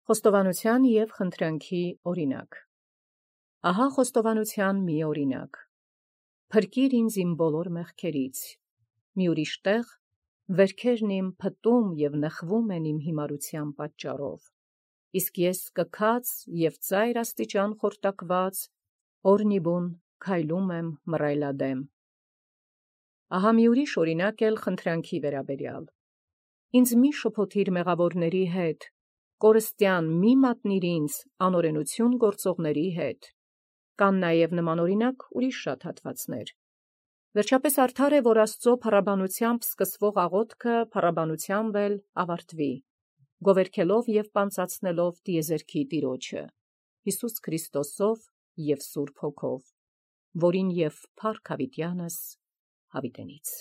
Խոստովանութեան և խնդրանքի օրինակ։ Ահա խոստովանութեան մի օրինակ. փրկիր ինձ իմ բոլոր մեղքերից. մի ուրիշ տեղ վերքերն իմ փտում և նխվում են իմ յիմարութեան պատճառով. իսկ ես կքած և ծայր աստիճան խորտակված օրնիբուն քայլում եմ մռայլադէմ։ Ահա մի ուրիշ օրինակ էլ խնդրանքի վերաբերյալ. ինձ մի շփոթիր մեղավորների հետ, կորստյան մի մատնիր ինձ անօրենութիւն գործողների հետ։ Կան նաև նման օրինակ ուրիշ շատ հատվածներ։ Վերջապես արդար է, որ Աստուծոյ փառաբանութեամբ սկսվող աղոթքը փառաբանութեամբ էլ ավարտվի, գովերգելով և պանծացնելով տիեզերքի Տիրոջը Յիսուս Քրիստոսով և Սուրբ Հոգով, որին և փառք յաւիտեանս յաւիտենից։